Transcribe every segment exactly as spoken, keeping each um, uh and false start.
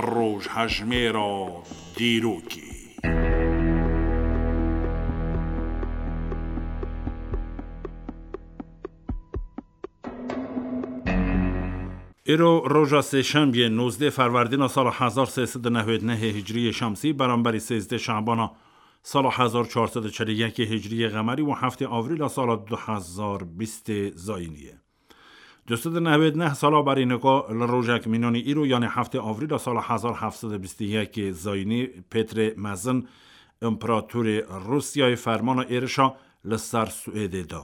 Rojhejmêra dîrokê. Îro roja sêşembiyê, nozdeh ferwerdîna sala hezar sê sed û newêd nehê hicriyê şemsî, beramberî sêzdeh şabana sala hezar çar sed û çel û yekê hicriyê qemerî û heftê avrîla sala du hezar bîstê zayînî ye. Du sed û newêd neh sala berî nika li rojek mînanî îro, yanî heftê avrîla sala hezar heft sed û bîst û yekê zayînî, Pêtrê Mezin, împeratorê Rûsyayê, fermana êrişa li ser Swêdê da.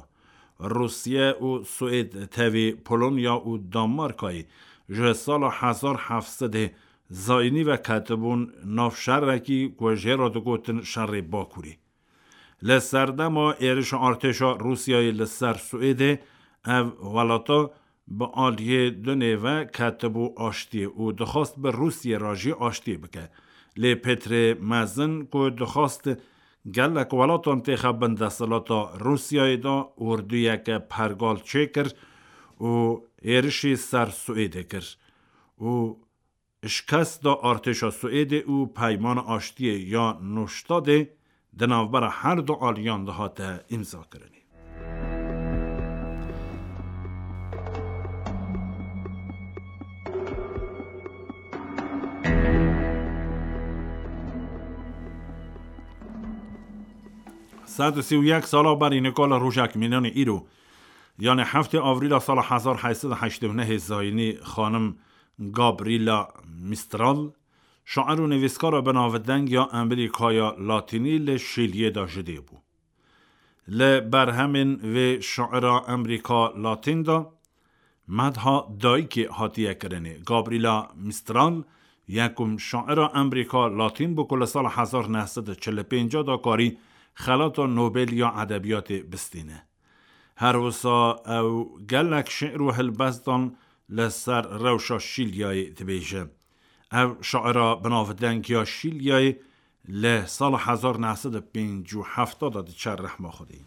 Rûsye û Swêd tevî Polonya û Danmarkayê ji sala hezar heft sedê zayînî ve ketibûn nav şerekî ku jê re digotin şerê Bakurê. Li serdema êrişa artêşa Rûsyayê li ser Swêdê, ev welata bi aliyê dunê ve ketibû aştiyê û dixwast bi Rûsyê re jî aştiyê bike. Lê Pêtrê Mezin ku dixwast gelek welatan têxe bin desthilata Rûsyayê de, orduyeke pergal çêkir û êrişî ser Swêdê kir û şikest da artêşa Swêdê û peymana aştiyê ya Nûştadê di navbera her du aliyan de hate îmzakirinê. Sed û sî û yek sala berî nika li rojek mînanê îro, yanî heftê avrîla sala hezar heyt sed û heştê û nehê zayînî, xanim Gabriela Mistral, şair û nivîskara binavdeng ya Amerîkaya Latînî, li Şîliyê de ji dê bû. Li berhemên vê şaira Amerîka Latîn de medha dayikê hatiye kirinê. Gabriela Mistral yekum şaira Amerîka Latîn bû ku li sala hezar neh sed û çil û pênc de karî xelata Nobel ya edebiyatê bistîne. Her wisa ew gelek şi'r û helbestan li ser rewşa Şîlyayê dibêje. Ev şaira binavdeng ya Şîlyayê li sala hezar neh sed û pêncî û heft de diçe rehma Xwedê.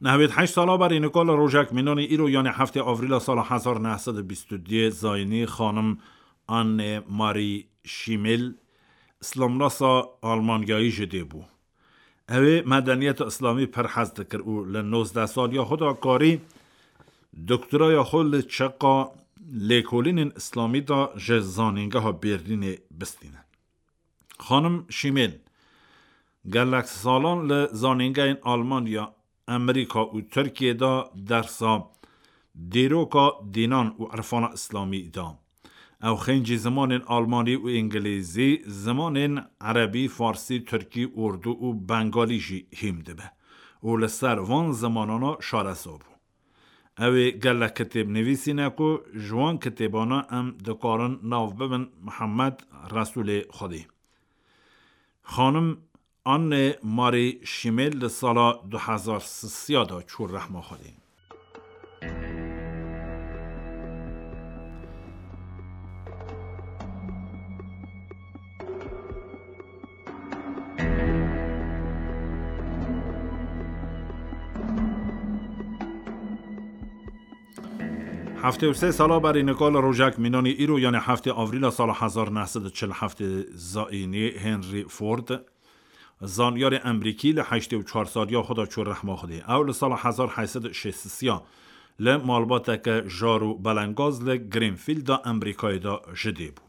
Nehwêd heşt sala berî nika li rojek mînanî îro, yanî heftê avrîla sala hezar neh sed û bîst û duyê zayînî, xanim Anne Marie Schimmel, îslamnasa Almanyayî ji dê bû. Ew ê medeniyeta îslamî pir hez dikir û li nozdeh saliya xwe de karî doktoraya xwe li çeqa lêkolînên îslamî de ji Zanîngeha Berlînê bistîne. Xanim Schimmel gelek salan li zanîngehên Almanya, Amerîka û Tirkiyê de dersa dîroka dînan û irfana îslamî da. Ew xêncî zimanên almanî û îngilîzî, zimanên erebî, farsî, tirkî, urdû û bengalî jî hîm dibe û li ser van zimanana şareza bû. Ew ê gelek kitêb nivîsîne ku ji wan kitêbana em dikarin nav bibin Mihemed Resûlê Xwedê. Xanim Anne Marie Schimmel li sala du hezar sisiya de çû rehma Xwedê. Heftê û sê sala berî nika li rojek mînanî îro, yanî heftê avrîla sala hezar neh sed û çil û heftê zayînî, Henry Ford, zanyarê Emerîkî, li heştê û çar saliya xwe de çû rehma Xwedê. Ew li sala hezar heyt sed û şêst û sê li malbateke jar û belengaz li Greenfield a Emerîkayê de ji dê bû.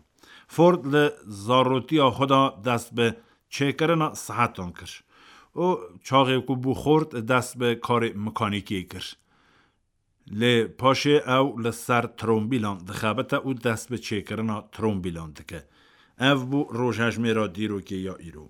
Ford li zarotiya xwe de dest bi çêkirina saetan kir û çaxê ku bû xort, dest bi karê mekanîkê kir. Lê paşê ew li ser trombîlan dixebite û dest bi çêkirina trombîlan dike. Ev bû rojhejmêra dîrokê ya îro.